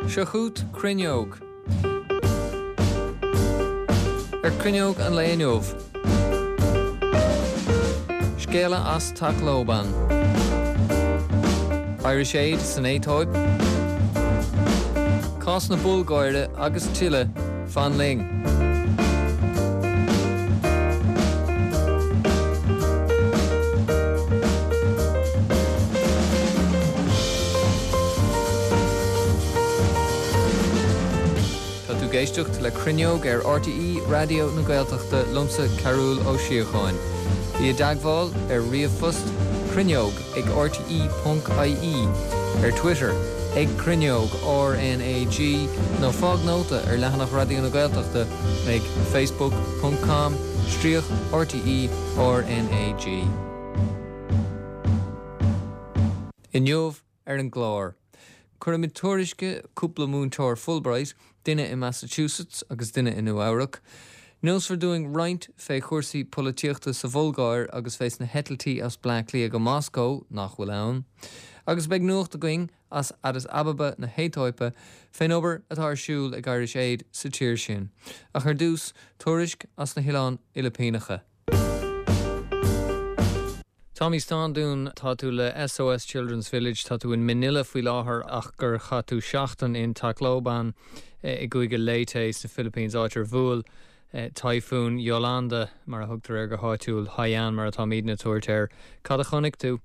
Seo chugat Cruinneog. Ar Cruinneog an lae inniu. Scéala as Tacloban. Irish Aid san Aetóip. Cás na Bulgáire agus tuilleadh, fan linn. Tá tú ag éisteacht le Cruinneog ar RTÉ Raidió na Gaeltachta liomsa Cearbhall Ó Síocháin. Bí i dteagmháil ar ríomhphost cruinneog ag rte ponc ie, ar Twitter ag Cruinneog RnaG nó fág nóta ar leathanach Raidió na Gaeltachta ag facebook ponc com stríoc RTÉ RnaG. Inniu ar an gclár, cuirfimid tuairisc cúpla múinteoir Fulbright, duine i Massachusetts agus duine i Nua Eabhrac. Neosfar dúinn roinnt fé chúrsaí polaitíochta sa Bhulgáir agus fés na heitiltí as Bleá Cliath go Moscó, nach bhfuil ann. Agus beidh nuacht againn as Addis Ababa na hAetóipe fén obair atá ar siúl ag Irish Aid sa tír sin. Ach ar dtús, tuairisc as na hOileáin Fhilipíneacha. Tommy Standún, tá tú le SOS Children's Village, tá tú in Manila faoi láthair ach gur chaith tú seachtain in Tacloban i gcúige Leyte sna Philippines, áit ar bhuail Typhoon Yolanda, mar a thugtar air go háitiúil, Haiyan mar atáimidne ag tabhairt air. Cad a chonaic tú?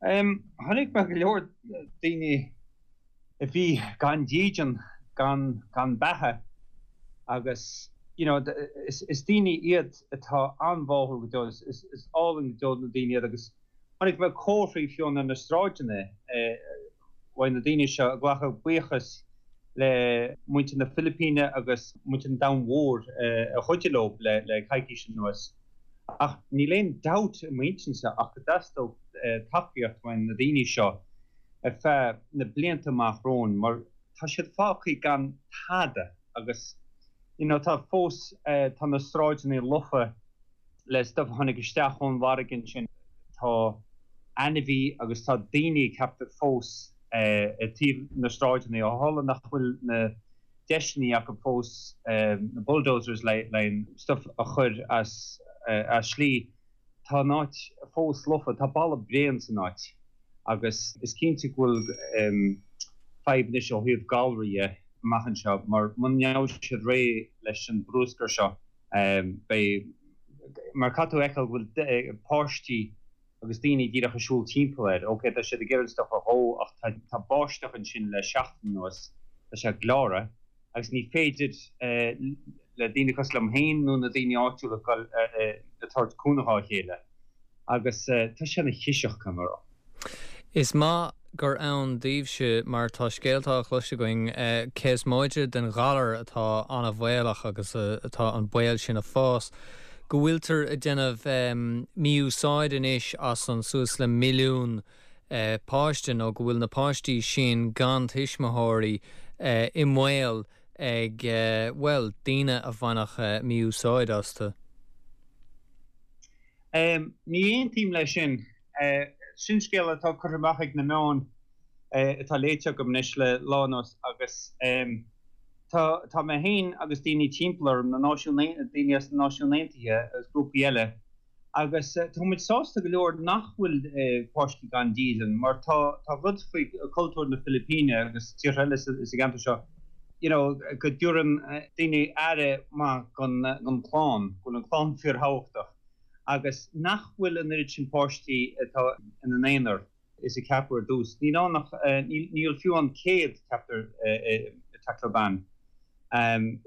Chonaic mé go leor daoine a bhí gan dídean, gan, gan beatha agus you know is, is daoine iad atá an-bháúil go deo, is, is, is álainn go deo na daoine iad agus chonaic mé comharthaí fiú ar na sráideanna uaidh na daoine seo ag glacadh buíochas le muintir na Filipíne agus muintir an domhain mhór a chuidigh leo le, le coicís anuas. Ach níl aon dabht i m'intinnse ach go dteastódh tacaíocht uaidh na daoine seo ar feadh na blianta amach romhainn mar tá siad fágtha gan tada agus you know tá fós tá na sráideanna lofa le stuif a tháinig isteach ón bhfarraige ansin, tá ainmhí agus tá daoine ceaptar fós ag taobh na sráideanna ó tharla nach bhfuil na deiseanna acu fós na bulldozers le an stuif a chur as as slí. Tá an áit fós lofa, tá balla bréan san áit agus is cinnte go bhfuil fadhb anois ó thaobh galraí dhe amach anseo mar muna ngeobhaidh siad réidh leis an brúscar seo beidh, mar caithfidh tú a fheiceáil go bhfuil páistí agus daoine díreach ag siúl timpeall air. Ok, tá siad ag iarraidh an stuff a dhó ach tá báisteach ansin le seachtain anuas, tá sé gleáradh agus ní féidir le daoine cosúil liom féin nó na daoine áitiúla dul ag tabhairt cúnamh dhá chéile agus tá sé ina chiseach, caithfidh mé a rá. Is maith gur ann daoibhse mar tá scéalta á chlos againn cé is móide den ghalar atá an-bhaolach agus atá an baol sin ag fás, go bhfuiltear ag déanamh mí-úsáid anois as an suas le milliún páiste nó go bhfuil na páistí sin gan tuismitheoirí i mbaol ag, bhuel, daoine a bhainfeadh mí-úsáid astu. Ní aontaím leis sin. Sin scéal atá curtha amach ag na meáin atá léite agam anois le lá anuas agus tá tá mé féin agus daoine timpeall orm, na Náisiúin, daoine as na Náisiúin Aontaithe agus grúpaí eile agus tá muid sásta go leor nach bhfuil páistí gan dídean mar tá tá rud faoi cultúr na Filipíne agus tíortha eile sa gceantar seo you know go dtabharann daoine aire maith don don chlann, go bhfuil an chlann fíorthábhachtach. agus nach bhfuil an oiread sin páistí atá ina n-aonar is a ceapadh ar dtús. Níl ann ach, níl fiú an 100, ceaptar, i Tacloban.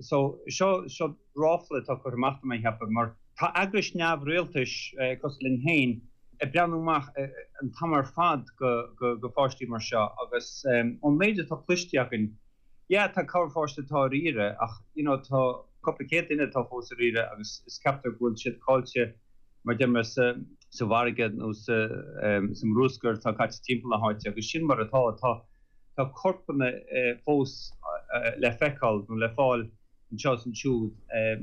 So, seo, seo ráfla atá curtha amach tá mé a cheapadh, mar tá eagrais neamhrialtais cosúil linn féin ag breathnú amach an t-am ar fad go, go, go pháistí mar seo agus ón méid atá cloiste againn, Yeah, tá corr pháiste atá ar iarraidh ach you know tá cúpla céad duine atá fós ar iarraidh agus is ceaptar go bhfuil siad caillte mar deir mé sa sa bhfarraige nó sa sa mbrúscar atá caite timpeall na háite agus sin mar atá. Tá tá corpanna fós le feiceáil nó le fáil anseo is ansiúd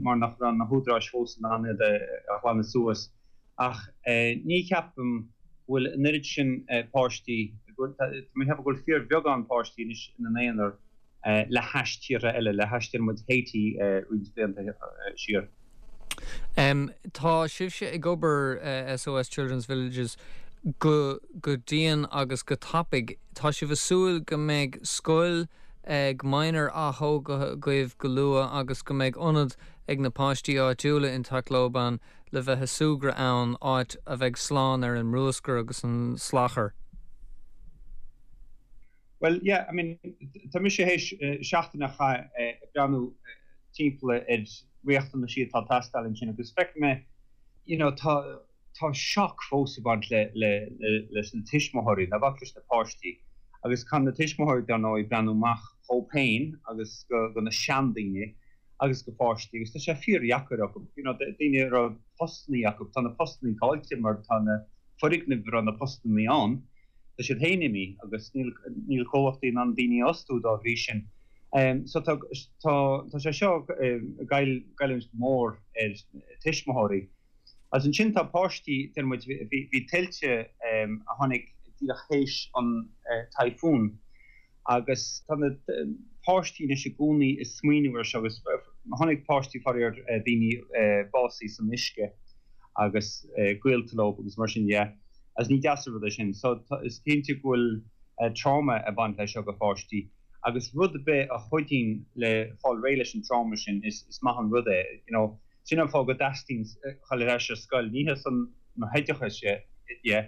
mar nach raibh na húdaráis fós in ann iad a ghlanadh suas. Ach ní cheapaim go bhfuil an oiread sin páistí. Tá mé ag ceapadh go bhfuil fíorbheagán páistí anois ina n-aonar le hais tíortha eile, le hais deir muid Haiti roinnt blianta siar. Tá sibhse ag obair, SOS Children's Villages, go go dian agus go tapaidh. Tá sibh ag súil go mbeidh scoil ag Minor ath-thógtha agaibh go luath agus go mbeidh ionad ag na páistí áitiúla in Tacloban le bheith ag súgradh ann, áit a bheidh slán ar an mbruascar agus an salachar. Bhuel, yeah, I mean, tá mise théis seachtain a chaitheamh ag breathnú timpeall ar riachtanaisí atá ag teastáil ansin agus feicfidh mé, you know, tá, tá shock fós ag baint le, le, le, leis na tuismitheoirí, ná bac leis na páistí. Agus caithfidh na tuismitheoirí, dar ndóigh, breathnú amach dhóibh féin agus go, go na seandaoine agus go pháistí agus tá sé fíordheacair acu, you know, daoine a raibh postannaí acu, tá na postannaí caillte mar tá na foirgnimh a raibh na postannaí ann, tá siad féin imithe agus níl níl comhlachtaí in ann daoine a fhostú dá bhrí sin. So tá tá tá sé seo ag goilliúint go mór ar tuismitheoirí. Agus ansin tá páistí, deir muid, bhí bhí tuilte a tháinig díreach théis an typhoon agus tá na páistí anois i gcónaí ag smaoineamh ar seo agus tháinig páistí faraor daoine básaithe san uisce agus gaolta leo agus mar sin dhe. Agus ní deas an rud é sin. So is cinnte go bhfuil trauma ag baint leis seo go pháistí agus rud ar bith a chuidíonn le fáil réidh leis an trauma sin is maith an rud é. You know, sin an fáth go dteastaíonn dhul ar ais ar scoil. Ní ar son na hoideachais dhe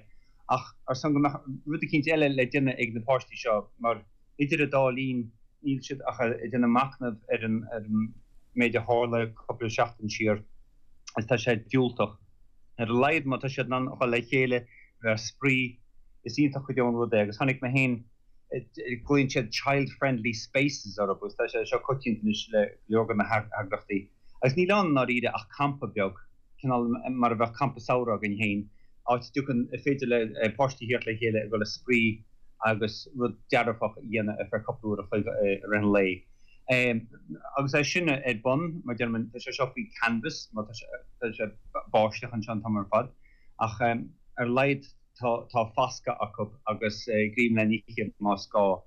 ach ar son go mbeadh rud eicínt eile le déanamh ag na páistí seo mar idir an dá linn níl siad ach ag déanamh machnamh ar an méid a tharla cúpla seachtain siar agus tá sé diúltach. Ar a laghad má tá siad in ann a dhul le chéile, bheith ag spraoi, is iontach go deo an rud é agus chonaic mé féin, glaonn siad child friendly spaces orthu agus tá sé seo coitianta anois le go leor de na heagraíochtaí agus níl ann i ndáiríre ach campa beag, cineál mar a bheadh campa samhraidh againn féin, áit a dtiocfainn, ar féidir le páistí theacht le chéile ag dul ag spraoi agus rud dearfach a dhéanamh ar feadh cúpla uair a chloig i rith an lae. Agus é sin ar bun, mar deirim, tá sé seo faoi canvas, mar tá sé báisteach anseo an t-am ar fad, ach ar a laghad tá foscadh acu agus greim le n-ithe más gá.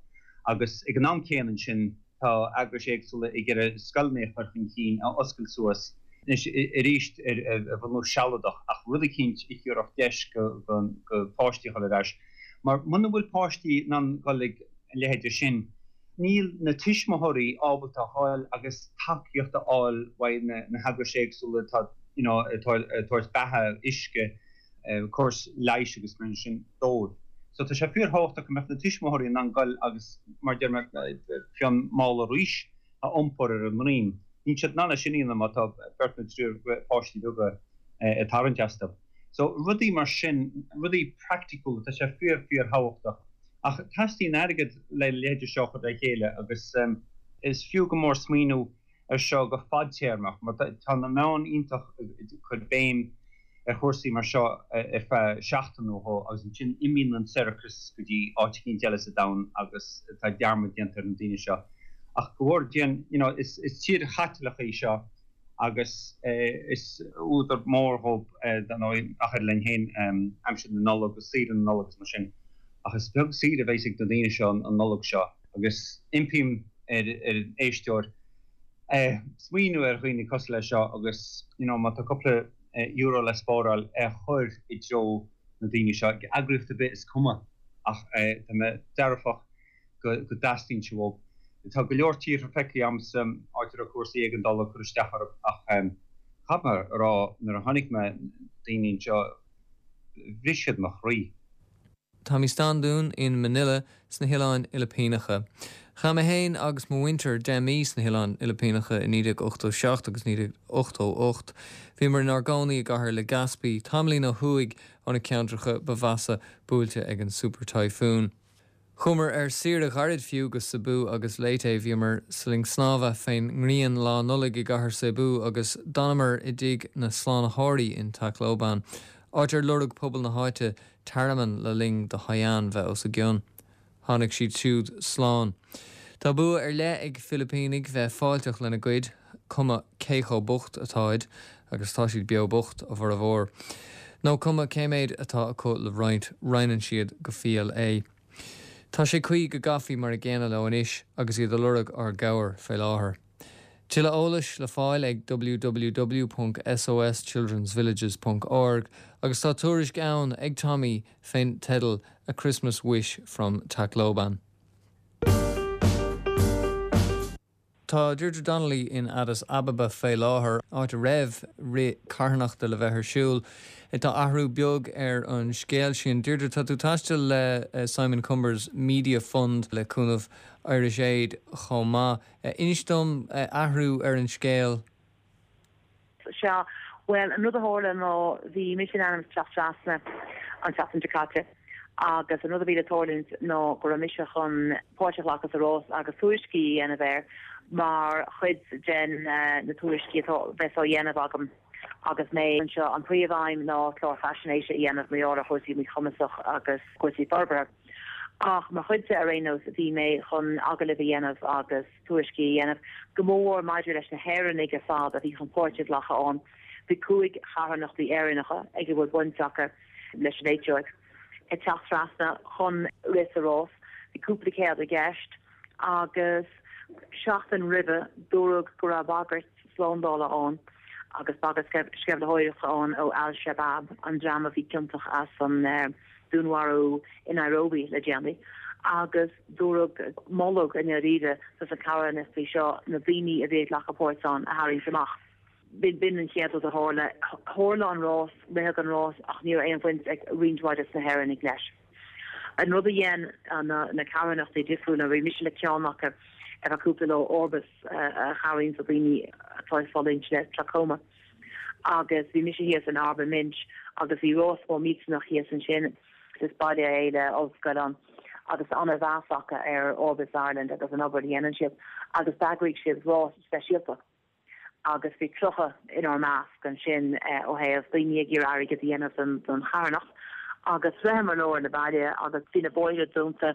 Agus ag an am céanna ansin tá eagrais éagsúla ag iarraidh scoileanna a chur chun cinn, a oscailt suas anois arís ar bhunús sealadach ach rud eicínt a thabharfadh deis go páistí a dhul ar ais. Mar muna bhfuil páistí in ann dhul ag a leithéide sin, Níl na tuismitheoirí ábalta a ghoil agus tacaíocht a fháil uaidh na heagrais éagsúla atá you know ag tabhairt beatha, uisce, córas leighis agus mar sin dóibh. So tá sé fíorthábhachtach go mbeadh na tuismitheoirí in ann goil agus mar deir mé fiú an mála rís a iompar ar a ndroim. Níl siad in ann é sin a dhéanamh má tá beirt nó triúr páistí beaga ag tarraingt astu. So rudaí mar sin, rudaí praiticiúla, tá sé fíor fíorthábhachtach. Ach teastaíonn airgead le a leithéide seo a chur le chéile agus is fiú go mór smaoineamh ar seo go fadtéarmach mar tá na meáin iontach ag cur béim ar chúrsaí mar seo ar feadh seachtain nó dhó agus ansin imíonn an sorcas go dtí áit eicínt eile sa domhan agus tá dearmad déanta ar na daoine seo. Ach go bhfóire Dia, you know, is tír Chaitliceach í seo agus is údar mór dhóibh, dar ndóigh, ach oiread linn féin, aimsir na Nollag agus saoire na Nollag agus mar sin. Ach is beag saoire a bheas ag na daoine seo an Nollaig seo agus impím ar an éisteoir smaoineamh ar dhaoine cosúil leis seo agus you know má tá cúpla euro le spáráil é a chur i dtreo na daoine seo. Eagraíocht ar bith is cuma ach tá mé dearfach go dteastaíonn sé uathu. Tá go leor tíortha feicthe agamsa áit a raibh cúrsaí éigeandála ag cur isteach orthu ach caithfidh mé a rá nuair a chonaic mé daoine anseo bhris siad mo chroí. Tommy Standún in Manila sna hOileáin Fhilipíneacha. Chaith mé féin agus mo mhuintir 10 mí sna hOileáin Fhilipíneacha i 1987 agus 1988. Bhíomar inár gcónaí i gcathair Legazpi, tamaillín ó thuaidh ó na ceantracha ba mheasa buailte ag an Super Typhoon. Chuamar ar saoire ghairid fiú go Cebu agus Leyte. Bhíomar sa linn snámha fén ngrian Lá Nollag i gcathair Cebu agus d'fhanamar i dtigh na slánaitheoirí in Tacloban, áit ar lorg pobal na háite tearmann le linn do Haiyan bheith os a gcionn. Tháinig siad siúd slán. Tá bua ar leith ag Filipínigh bheith fáilteach lena gcuid, cuma cé chomh bocht atáid, agus tá siad beo bocht, a bhformhór. Nó cuma cé méid atá acu le roinnt, roinneann siad go fial é. Tá sé cuí go gcaithfí mar a gcéanna leo anois agus iad a lorg ár gcabhair fé láthair. Tuilleadh eolais le fáil ag www.soschildrensvillages.org agus tá tuairisc ann ag Tommy fén teideal A Christmas Wish from Tacloban. Tá Deirdre Donnelly in Addis Ababa fé láthair, áit a raibh rith carthanachta le bheith ar siúl. Tá athrú beag ar an scéal sin. Deirdre, tá tú ag taisteal le Simon Cumbers Media Fund le cúnamh Irish Aid chomh maith. Inis dom athrú ar an scéal. Sea, bhuel, an rud a tharla ná bhí mise in ainm is teacht trasna an tseachtain seo caite agus an rud a bhí le tarlúint ná go raibh mise chun páirt a ghlacadh sa rás agus tuairiscí a dhéanamh air mar chuid den na tuairiscí atá bheas á dhéanamh agam agus mé anseo. An príomh-aidhm ná clár faisnéise a dhéanamh mar gheall ar chúrsaí míchumasach agus cúrsaí forbartha. Ach mar chuid de ar aon nós bhí mé chun agallaimh a dhéanamh agus. tuairiscí a dhéanamh, go mór maidir leis na hÉireannaigh ar fad a bhí chun páirt a ghlacadh ann. Bhí 5 charthanachtaí Éireannacha ag a bhfuil baint acu leis an Aetóip ag teacht trasna chun rith sa rás. Bhí cúpla céad i gceist agus seachtain roimhe dúradh go raibh bagairt slándála ann agus bagairt sceimhlitheoireachta ann ó Al Shabaab, an dream a bhí ciontach as an dúnmharú i Nairobi le déanaí, agus dúradh, moladh i ndáiríre dos na carthanachtaí seo na daoine a bhí ag glacadh páirt ann a tharraingt amach. B'in an chéad rud a tharla. Tharla an rás, ritheadh an rás ach ní raibh aon bhaint ag roinnt mhaith des na hÉireannaigh leis. An rud a dhein na carthanachtaí difriúla, bhí mise le ceann acu ar feadh cúpla lá, Orbis, a chabhraíonns le daoine atá ag fulaingt le trachoma. Agus bhí mise thíos in Arba Minch agus bhí rás mór millteanach thíos ansin. Is baile é le ollscoil ann agus tá an-mheas acu ar Orbis Ireland agus an obair a dhéanann siad agus d'eagraigh siad rás speisialta. Agus bhí 30 inár measc ansin ó thaobh daoine ag iarraidh airgead a dhéanamh don charthanacht. Agus shroicheamar lár na baile agus bhí na bóithre dúnta,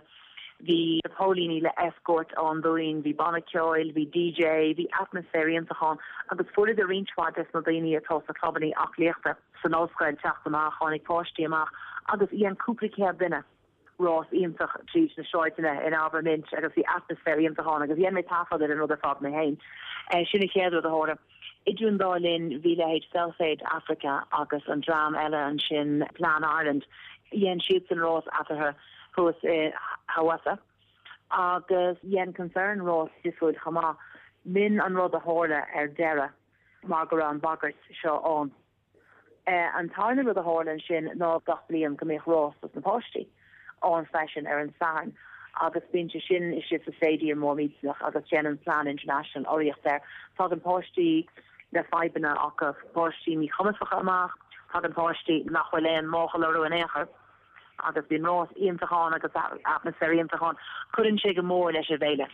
bhí na póilíní le escort ann dúinn, bhí banna ceoil, bhí DJ, bhí atmaisféar iontach ann agus fuaireadar roinnt mhaith des na daoine atá sna clubannaí aclaíochta san ollscoil teacht amach, tháinig páistí amach agus dhein cúpla céad duine. rás iontach tríd na sráideanna in Arba Minch agus bhí atmaisféar iontach ann agus dhein mé taifead ar an rud ar fad mé féin. Sin an chéad rud a tharla. Idir an dá linn bhí leithéid Self-Aid Africa agus an dream eile ansin Plan Ireland, dhein siadsan rás eatarthu thuas i Hawassa agus dhein Concern rás difriúil chomh maith. B'in an rud a tharla ar deireadh mar go raibh an bhagairt seo ann. An tarna rud a tharla ansin ná gach bliain go mbíodh rás dos na páistí ann freisin ar an Satharn agus bíonn sé sin istigh sa stadium mór millteanach agus déanann Plan International urraíocht air. Tagann páistí le fadhbanna acu, páistí míchumasacha amach, tagann páistí nach bhfuil aon máchail orthu in aon chor agus bíonn rás iontach ann agus atmaisféar iontach ann. Cuireann sé go mór leis an bhféile.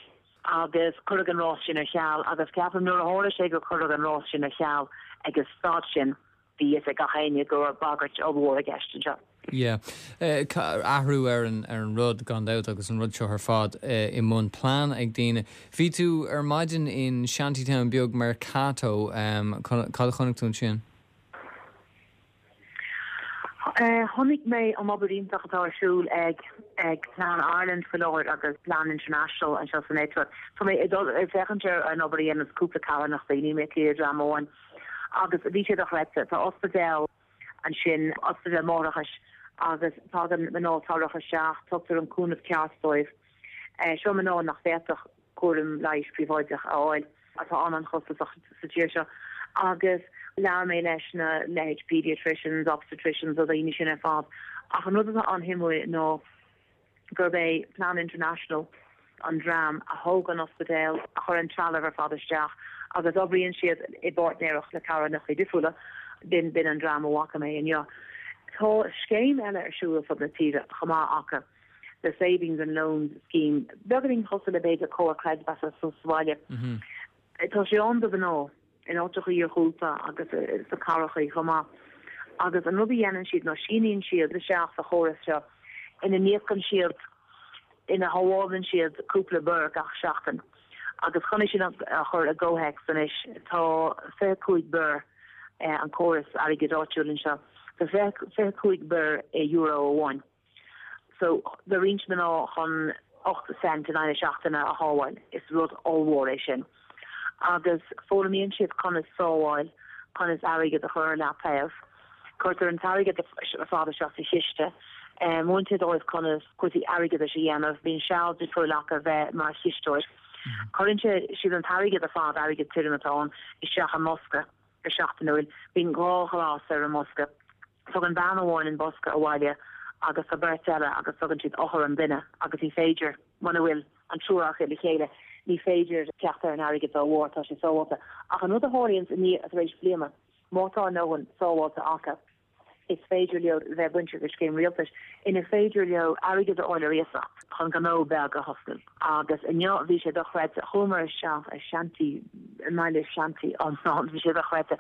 Agus cuireadh an rás sin ar ceal agus ceapaim nuair a tharla sé gur cuireadh an rás sin ar ceal ag an staid sin, bhí fhios ag gach éinne go raibh bagairt ollmhór i gceist anseo. Yeah. Athrú ar an ar an rud gan dabht agus an rud seo ar fad i mbun plean ag daoine. Bhí tú ar maidin in shantytown beag Mercato, cad a chonaic tú ansin? Chonaic mé an obair iontach atá ar siúl ag ag Plan Ireland faoi láthair agus Plan International anseo san Aetóip. Tá mé ag dul ag féachaint ar an obair a dhéananns cúpla carthanachtaí, níl mé ag plé le dream amháin. Agus bhí sé dochreidte. Tá ospidéal ansin, ospidéal máithreachais, agus tagann mná torracha isteach, tugtar an cúnamh ceart dóibh. Seo mná nach bhféadfadh cúram leighis príobháideach a fháil, atá an-an-chostasach sa tír seo, agus labhair mé leis na leithéid pediatricians, obstetricians, na daoine sin ar fad. Ach an rud atá an-shuimiúil ná gurb é Plan International an dream a thóg an ospidéal, a chuir an trealamh ar fad isteach agus oibríonn siad i bpáirtnéireacht le carthanachtaí difriúla, b'in b'in an dream a bhfaca mé inniu. Tá scéim eile ar siúl ar fud na tíre chomh maith acu. the savings and loans scheme, beagáinín cosúil le b'fhéidir comhar creidmheasa sa bhaile. Tá sé ann do mhná in áiteacha iarghúlta agus sna cathrachaí chomh maith. Agus an rud a dhéanann siad ná síníonn siad isteach sa chóras seo ina n-íocann siad, ina shábhálann siad cúpla birr gach seachtain. Agus chun é sin a chur i gcomhthéacs anois, tá 25 birr an córas airgid áitiúil anseo, tá 25 birr i euro amháin. So do roinnt mná chun 8 cent in aghaidh na seachtaine a shábháil, is rud ollmhór é sin. Agus foghlaimíonn siad conas sábháil, conas airgead a chur ar leataobh. Cuirtear an t-airgead ar fad isteach sa chiste. Múintear dóibh conas cúrsaí airgeadais a dhéanamh. Bíonn seal difriúil acu bheith mar chisteoir. Cuireann siad an t-airgead ar fad, airgead tirim atá ann, isteach i mbosca go seachtainiúil. Bíonn 2 ghlas ar an mbosca. Tugann bean amháin an bosca abhaile agus tá beirt eile agus tugann siad eochair an duine agus ní féidir, muna bhfuil an triúr acu le chéile, ní féidir teacht ar an airgead dá bharr, tá sé sábháilte. Ach an rud a tharlaíonns i ndiaidh, tar éis bliana, má tá a ndóthain sábháilte acu, is féidir leo bheith bainteach le scéim rialtais inar féidir leo airgead a fháil ar iasacht chun gnó beag a thosnú. Agus inniu bhí sé dochreidte, chuamar isteach i shanty, i mbaile shanty iomlán, bhí sé dochreidte.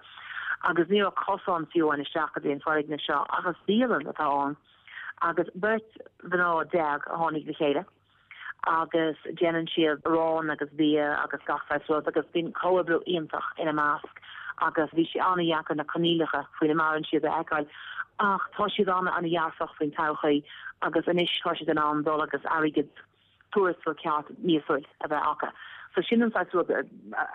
Agus ní raibh cosán fiú amháin isteach go dtí an foirgneamh seo ach is bialann atá ann. Agus beirt mhná a tháinig le chéile agus déanann siad arán agus bia agus gach saghas rud agus bíonn comhoibriú iontach ina measc agus bhí sé an-dheacair na coinníollacha faoina maireann siad a fheiceáil ach tá siad an-an-dhearfach faoin todhchaí agus anois tá siad in ann dul agus airgead tuarastal ceart míosúil a bheith acu. So sin an saghas rud a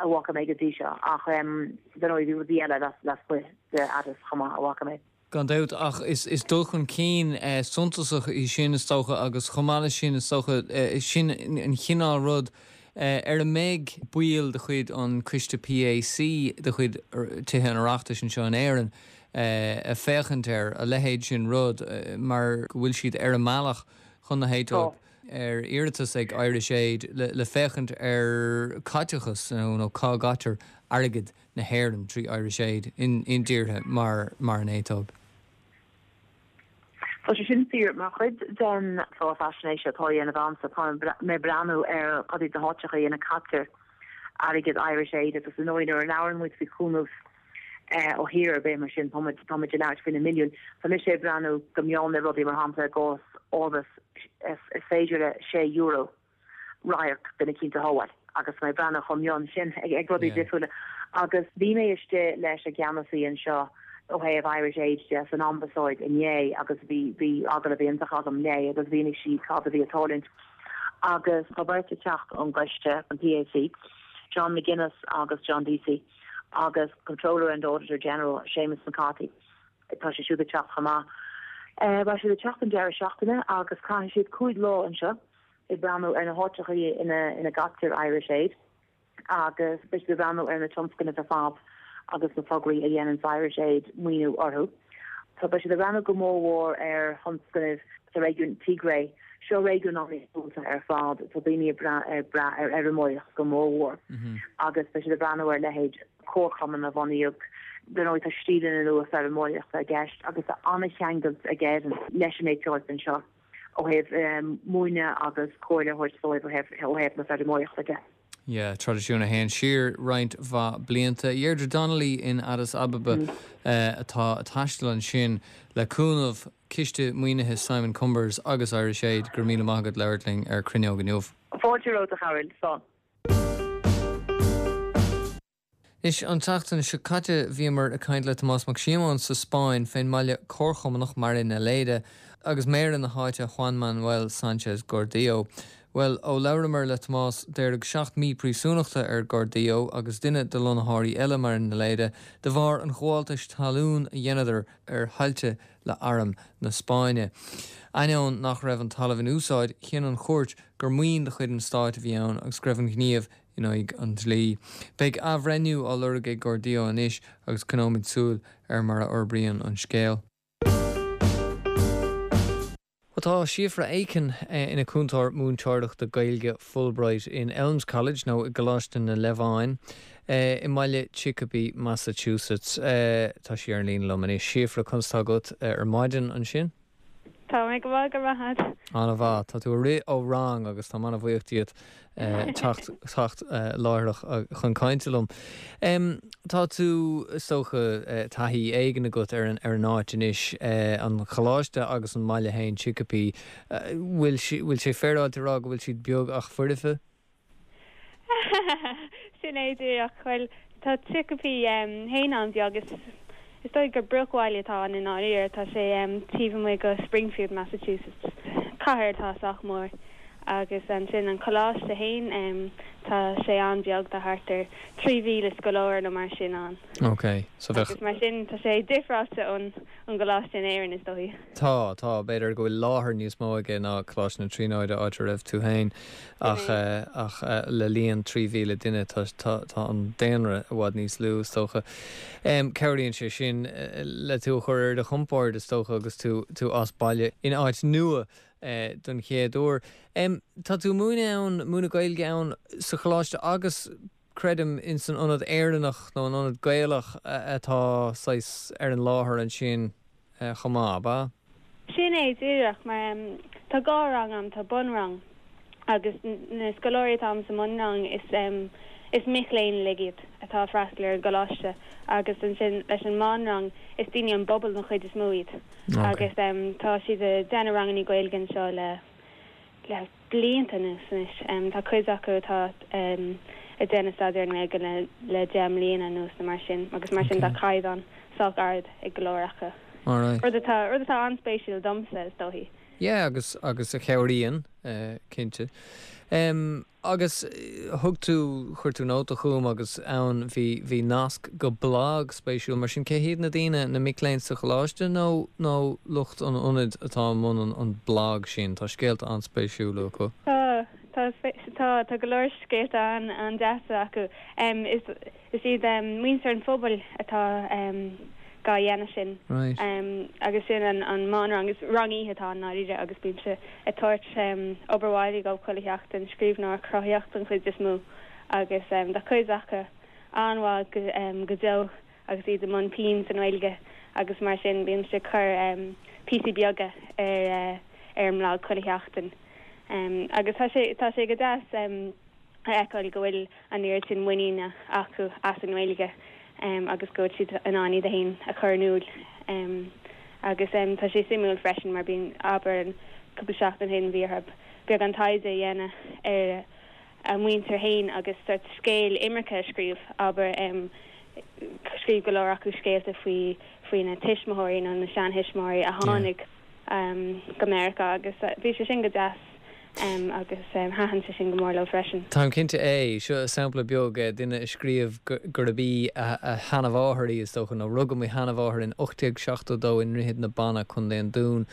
bhfaca mé go dtí seo ach dar ndóigh bhí rudaí eile lasmuigh de Addis chomh maith a bhfaca mé. Gan dabht, ach is dul chun cinn suntasach í sin, is dócha, agus chomh maith leis sin, is dócha, sin an chineál rud ar a mbeidh baill de chuid an Coiste PAC de chuid Tithe an Oireachtais anseo in Éirinn ag féachaint air, a leithéid sin rud, mar go bhfuil siad ar a mbealach chun na hAetóipe ar iarratas ag Irish Aid le féachaint ar caiteachas nó cá gcaitear airgead na hÉireann trí Irish Aid in dtíortha mar mar an Aetóip. Tá sé sin fíor. Mar chuid den chlár faisnéise atá á dhéanamh a'msa, tá mé ag breathnú ar cad iad na háiteacha ina gcaitear airgead Irish Aid agus ar ndóigh nuair a labhrann muid faoi chúnamh ó thír ar bith mar sin, tá muid tá muid ag labhairt faoi na milliúin. Tá mise ag breathnú go mion ar rudaí mar shampla i gcás Orbis is féidir le €6 radharc duine eicínt a shábháil agus mé ag breathnú chomh mion sin ag rudaí difriúla. Agus bhí mé istigh leis an gceannasaí anseo ó thaobh Irish Aid de san Ambasáid inné agus bhí bhí agallamh iontach agam léi agus mhínigh sí cad a bhí ag tarlúint. Agus tá beirt ag teacht ón gcoiste, an PAC, John McGuinness agus John Deasy agus Comptroller and Auditor General Seamus McCarthy. Tá sé siúd ag teacht chomh maith. Beidh siad ag teacht an deireadh seachtaine agus caithfidh siad 5 lá anseo ag breathnú ar na háiteacha ina gcaitear Irish Aid agus beidh siad ag breathnú ar na tionscnaimh ar fad agus na tograí a dhéanann Irish Aid maoiniú orthu. Tá beidh siad ag breathnú go mór mhór ar thionscnaimh sa réigiún Tigray. Seo réigiún an-iargúlta ar fad. Tá daoine ag brath ar fheirmeoireacht go mór mhór agus beidh siad ag breathnú ar leithéid comharchumann a bunaíodh. Dar ndóigh tá stíleanna nua feirmeoireachta i gceist agus tá an-cheangailt ag Éirinn leis an Aetóip anseo ó thaobh múineadh agus comhairle a thabhairt dóibh ó thaobh na feirmeoireachta de. Yeah, traidisiún a théann siar roinnt mhaith blianta. Deirdre Donnelly in Addis Ababa atá ag taisteal ansin le cúnamh Ciste Maoinithe Simon Cumbers agus Irish Aid. Go raibh míle maith agat labhairt linn ar Cruinneog inniu. Fáilte romhat a Chearbhaill. Slán. Anois, an tseachtain seo caite bhíomar ag caint le Tomás Mac Síomóin sa Spáinn fén mbaile comharchumannach Marinaleda agus méara na háite Juan Manuel Sanchez Gordillo. Bhuel, ó labhramar le Tomás daoradh 7 mí príosúnachta ar Gordillo agus duine de lonnaitheoirí eile Marinaleda de bharr an ghabháltais talún a dheineadar ar thailte le arm na Spáinne. Ainneoin nach raibh an talamh in úsáid, chinn an chúirt gur maoin de chuid an stáit a bhí ann agus go raibh an gníomh in aghaidh an dlí. Beidh athbhreithniú á lorg ag Gordillo anois agus coinneoimid súil ar mar a fhorbraíonn an scéal. Bhuel tá Síofra Aiken ina cúntóir múinteoireachta Gaeilge Fulbright in Elms College nó i gColáiste na Leamháin i mbaile Chicopee, Massachusetts. Tá sí ar an líne liom anois. Síofra, conas tá agat ar maidin ansin? Tá mé go maith, go raibh maith agat. An-mhaith. Tá tú ag rith ó rang agus táim an-bhuíoch díot teacht teacht láithreach chun cainte liom. Tá tú, is dócha, taithí éigin agat ar an ar an áit anois, an choláiste agus an mbaile féin, Chicopee. Bhfuil bhfuil sé féaráilte a rá go bhfuil siad beag ach foirfe? Sin é díreach. Bhuel, tá Chicopee féin an-bheag. Is is dóigh gur bruachbhaile atá ann i ndáiríre. Tá sé taobh amuigh de Springfield, Massachusetts. Cathair atá sách mór. Agus ansin an coláiste fhéin, tá sé an-bheag, tá thart ar 3,000 scoláire nó mar sin ann. Ok, so bheadh. Agus mar sin tá sé difreáilte ón gcoláiste in Éirinn is dóichí. Tá, tá, b'fhéidir go bhfuil láthair níos mó aige ná Coláiste na Tríonóide áit a raibh tú féin ach, ach le líon 3,000 duine tá, tá, tá an daonra i bhfad níos lú is dócha. Cabhraíonn sé sin le tú a chur ar do chompord is dócha agus tú, tú as baile in áit nua. don chéad uair. Tá tú ag múineadh ann, múineadh Gaeilge ann sa choláiste agus creidim in san ionad Éireannach nó an ionad Gaelach atá saghas ar an láthair ansin chomh maith, ab ea? Sin é díreach, mar tá dhá rang a'm, tá bunrang agus na scoláirí atá a'm sa mbunrang is is mic léinn uilig iad atá ag freastal ar an gcoláiste agus ansin leis an meánrang is daoine ón bpobal den chuid is mó iad. Agus tá siad ag déanamh rangannaí Gaeilge anseo le le blianta anuas anois. Tá cuid acu atá ag déanamh staidéar ar an nGaeilge le le 10 mbliana anuas nó mar sin agus mar sin tá caighdeán sách ard ag go leor acu. Rud atá rud atá an-spéisiúil domsa is dóichí. Yeah agus agus a chabhraíonn cinnte. Agus thug tú, chuir tú nóta chugam agus ann bhí, bhí nasc go blag spéisiúil. Mar sin, cé hiad na daoine, na mic léinn sa choláiste nó, nó lucht an ionaid atá i mbun an, an blag sin? Tá scéalta an-spéisiúla acu. Tá, tá, tá, tá go leor scéalta an, an-deasa acu. Is, Is iad muintir an phobail atá dhá dhéanamh sin. Agus sin an meánrang. Is rang oíche atá ann i ndáiríre agus bímse ag tabhairt obair bhaile dhóibh chuile sheachtain, scríbhneoireacht chruthaitheach den chuid is mó agus tá cuid acu an-mhaith go deo agus iad i mbun pinn sa nGaeilge agus mar sin bímse ag cur píosaí beaga ar ar an mblag chuile sheachtain. Agus tá sé tá sé go deas. a fheiceáil go bhfuil an oiread sin muiníne acu as an nGaeilge agus go bhfuil siad in ann iad féin a chur in iúl. Agus tá sé suimiúil freisin mar bíonn, abair, cúpla seachtain ó shin bhí orthu beagán taighde a dhéanamh ar a muintir féin agus sort scéal imirce a scríobh, abair, scríobh go leor acu scéalta faoi faoi na tuismitheoirí nó na seanthuismitheoirí a tháinig go Meiriceá agus bhí sé sin go deas. agus thaitin sé sin go mór leo freisin. Táim cinnte é. Seo sampla beag, duine a scríobh gurb í a sheanmháthair í, is dócha, nó rugadh mo sheanmháthair in 1872 i nDroichead na Banna, Co. an Dúin,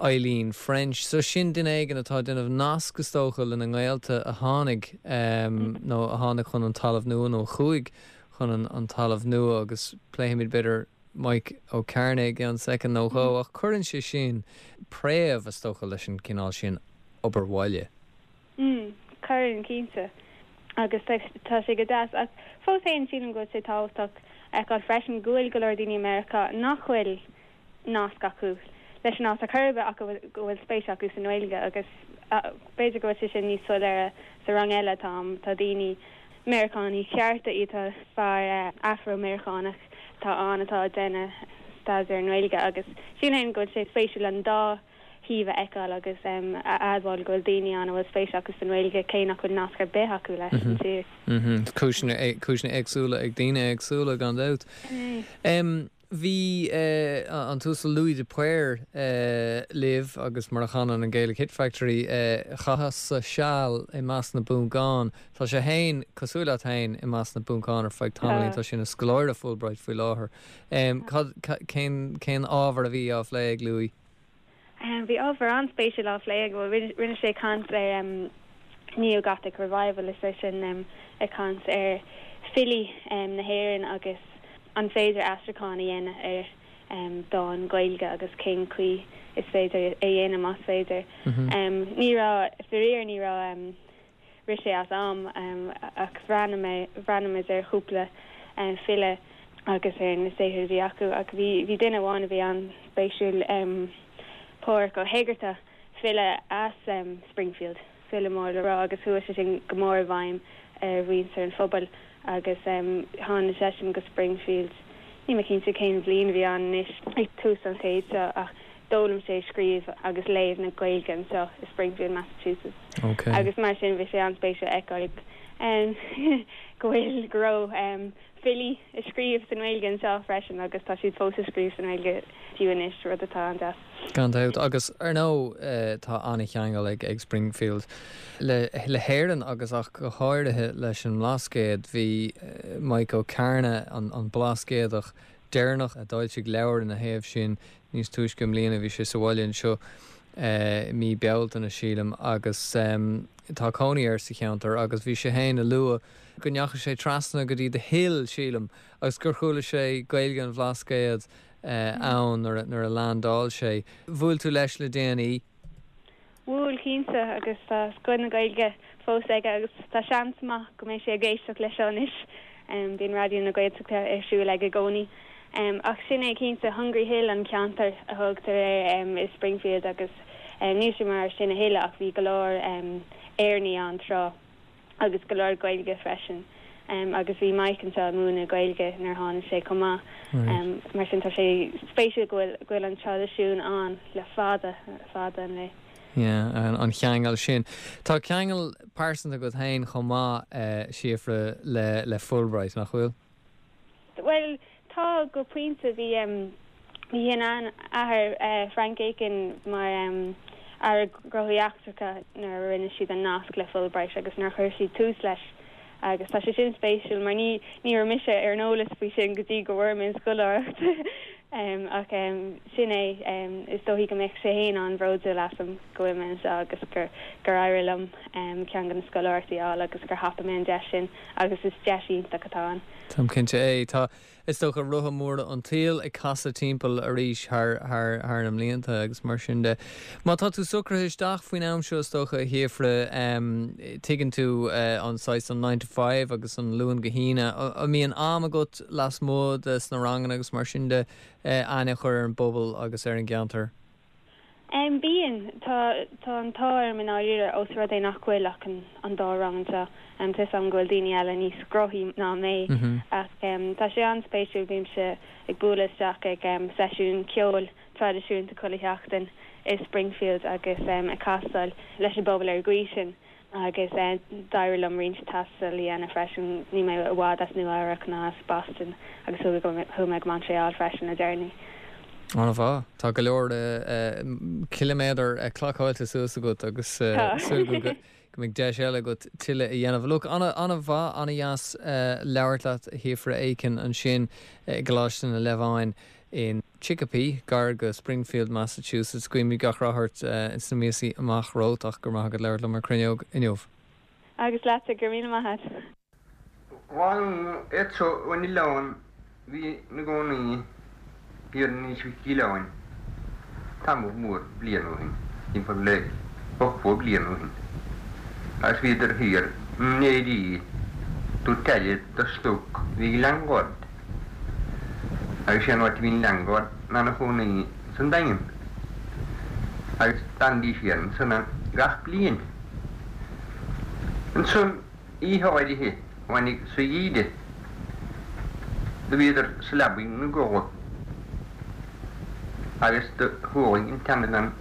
Eileen French. So sin duine éigin atá ag déanamh nasc, is dócha, lena ngaolta a tháinig, nó a tháinig chun an Talamh Nua, nó a chuaigh chun an Talamh Nua agus pléifimid, b'fhéidir, Mike Ó Cearnaigh i gceann soicind nó dhó, ach cuireann sé sin préamh, is dócha, leis an gcineál sin obair bhaile. Mm, cuireann, cinnte. Agus tá sé go deas. Ach fós féin, sílim go bhfuil sé tábhachtach a fheiceáil freisin go bhfuil go leor daoine i Meiriceá nach bhfuil nasc acu leis an áit ar chor ar bith ach go bhfuil spéis acu sa nGaeilge agus b'fhéidir go bhfuil sé sin níos soiléire sa rang eile atá a'm. Tá daoine, Meiriceánaigh chearta iad, tá fear Afro-Meiriceánach atá ann atá ag déanamh staidéar i nGaeilge agus sílim go bhfuil sé spéisiúil an dá thaobh a fheiceáil agus a admháil go bhfuil daoine ann a bhfuil spéis acu sa nGaeilge cé nach bhfuil nasc ar bith acu leis an tír. Cúiseanna éagsúla ag daoine éagsúla gan dabht. Bhí an tUasal Louis de Paor libh agus mar a chanann an Gaelic Hit Factory, chaitheas-sa seal i measc na bPoncán. Tá sé féin, cosúil leat féin, i measc na bPoncán ar feadh tamaillín. Tá sé ina scoláire Fulbright faoi láthair. Cad, cén, cén ábhar a bhí á phlé ag Louis? Bhí ábhar an-spéisiúil á phlé aige. Bhuel, rinne sé caint ar Neo-Gothic Revival, is é sin ag caint ar filí na hÉireann agus an féidir aistriúchán a dhéanamh ar dán Gaeilge agus cén chaoi is féidir é a dhéanamh, más féidir. Ní raibh, faraor, ní raibh. Rith sé as am ach bhreathnaigh mé, bhreathnaigh muid ar chúpla file agus ar na saothair a bhí acu ach bhí, bhí duine amháin a bhí an-spéisiúil, Pádhraic Ó hÉigeartaigh, file as Springfield, file mór le rá agus chuaigh sé sin go mór i bhfeidhm ar mhuintir an phobail agus tháinig seisean go Springfield, níl mé cinnte cén bhliain a bhí ann anois, ag tús an chéid seo ach. D'fhoghlaim sé scríobh agus léamh na Gaeilge anseo i Springfield, Massachusetts. Agus mar sin bhí sé an-spéisiúil a fheiceáil go bhfuil, go raibh filí ag scríobh sa nGaeilge anseo freisin agus tá siad fós ag scríobh sa nGaeilge fiú anois, rud atá an-deas. Gan dabht. Agus ar ndóigh tá an-cheangal ag ag Springfield le le hÉirinn agus ach go háirithe leis an mBlascaod. Bhí Mike Ó Cearna, an an Blascaodach deireanach a d'fhoilsigh leabhar ina thaobh sin níos túisce i mbliana, bhí sé sa bhaile anseo i mí Bealtaine, sílim, agus tá cónaí air sa cheantar agus bhí sé féin ag lua go ndeachaigh sé trasna go dtí The Hill, sílim, agus gur chuala sé Gaeilge an Bhlascaoid ann nuair a leaindeáil sé. Bhuail tú leis le déanaí? Bhuail, cinnte, agus tá scoth na Gaeilge fós aige agus tá seans maith go mbeidh sé ag éisteacht leis seo anois. Bíonn Raidió na Gaeltachta ar siúl aige i gcónaí. Ach sin é cinnte, Hungry Hill an ceantar a thugtar air i Springfield agus níl sé mar sin a thuilleadh ach bhí go leor Éireannaigh ann tráth. agus go leor Gaeilge freisin. Agus bhí Mike anseo ag múineadh Gaeilge nuair a tháinig sé chomh maith. Mar sin tá sé spéisiúil go bhfuil go bhfuil an traidisiún ann le fada, fada an lá. Yeah, an cheangal sin. Tá ceangal pearsanta agat féin chomh maith, Síofra, le le Fulbright, nach bhfuil? Bhuel, tá, go pointe. Bhí bhí a sheanathair, Frank Aiken, mar Aire Gnóthaí Eachtracha nuair a rinne siad an nasc le Fulbright agus nuair a chuir siad tús leis. Agus tá sé sin spéisiúil mar ní ní raibh mise ar an eolas faoi sin go dtí go bhfuair mé an scoláireacht. Ach sin é, is dóichí go mbeadh sé féin an-bhródúil asam go bhfuil mé anseo agus gur gur éirigh liom ceann de na scoláireachtaí a fháil agus gur thapaigh mé an deis sin. Agus is deis iontach atá ann. Táim cinnte é. Tá, is dócha, rotha móra an tsaoil ag casadh timpeall arís thar, thar, thar na mblianta agus mar sin de. Má tá tú socraithe isteach faoin am seo, is dócha, a Shíofra, tuigeann tú an saghas, an nine to five agus an Luan go hAoine. An mbíonn am agat lasmuigh de sna ranganna agus mar sin de, aithne a chur ar an bpobal agus ar an gceantar? Bíonn. Tá tá an t-ádh orm i ndáiríre ós rud é nach bhfuil ach an an dá rang anseo. Tá 'fhios a'm go bhfuil daoine eile níos gróthaí ná mé ach tá sé an-spéisiúil, bímse ag bualadh isteach ag seisiún ceoil traidisiúnta chuile sheachtain i Springfield agus ag castáil leis an bpobal ar an gcaoi sin. Agus d'éirigh liom roinnt taistil a dhéanamh freisin, níl mé i bhfad as Nua Eabhrac ná as Boston agus chuaigh mé go Montréal freisin le deireanaí. An-mhaith. Tá go leor ciliméadar clocáilte suas agat agus súil agam go mbeidh deis eile agat tuilleadh a dhéanamh. Look, an-mhaith, an-dheas labhairt leat a Shíofra Aiken ansin i gColáiste na Leamháin. in Chicopee, gar go Springfield, Massachusetts. Guímid gach rath ort sna míosaí amach romhat ach go raibh maith agat labhairt liom ar Cruinneog inniu. Agus leatsa, go raibh míle maith a't. Bhuel iad seo ón oileán bhí ina gcónaí thiar in Inis Mhic Giolláin tamall mór bliain ó shin, timpeall le 80 bliain ó shin, agus bhíodar thiar in éirí dúirt aire do stoc a bhí ag Leangard. Agus sé an áit a bhí an Leangard ná ina chónaí san Daingean. Agus d'fhanaidís thiar ansan gach bliain. Ansan oíche áirithe tháinig sa gheimhreadh do bhíodar sa leabaidh ina gcodladh agus do chualaidh an tseanbhean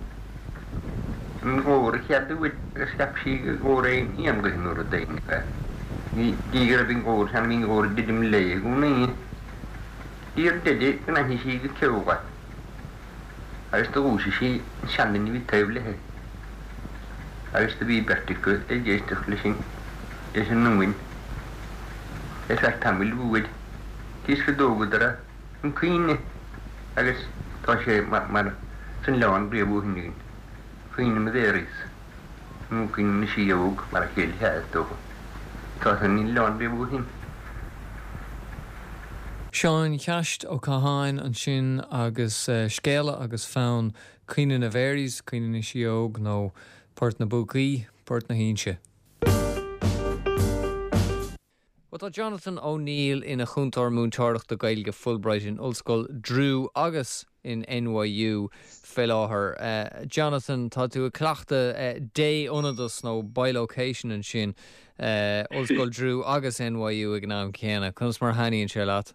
an glór an chéad uair agus cheap sí gur glór aon éanlaith nó rud éigin é. Ní go raibh an glór sin, bhí an glór ag druidim léi i gcónaí. Ar deireadh go n-aithnigh sí go ceol é agus do dhúisigh sí an seanduine a bhí taobh léi agus do bhí beirt acu ag éisteacht leis an leis an iongain ar feadh tamaill mhóir cis go dtógadar chun cuimhne agus tá sé mar san oileán riamh ó shin againn, Caoineadh na Mharys, nó Caoineadh na Sidheog mar a chéile sea is dócha. Tá san oileán riamh ó shin. Seán Cheaist Ó Catháin ansin agus scéala agus fonn Caoineadh na Mharys, Caoineadh na Sidheog nó Port na bPúcaí, Port na hInse. Bhuel, tá Jonathan O'Neill ina chúntóir múinteoireachta Gaeilge Fulbright in Ollscoil Drew agus in NYU fé láthair. Jonathan, tá tú ag cleachtadh dé-ionadas nó bilocation ansin, Ollscoil Drew agus NYU ag an am céanna. Conas mar a thaitníonn sé leat?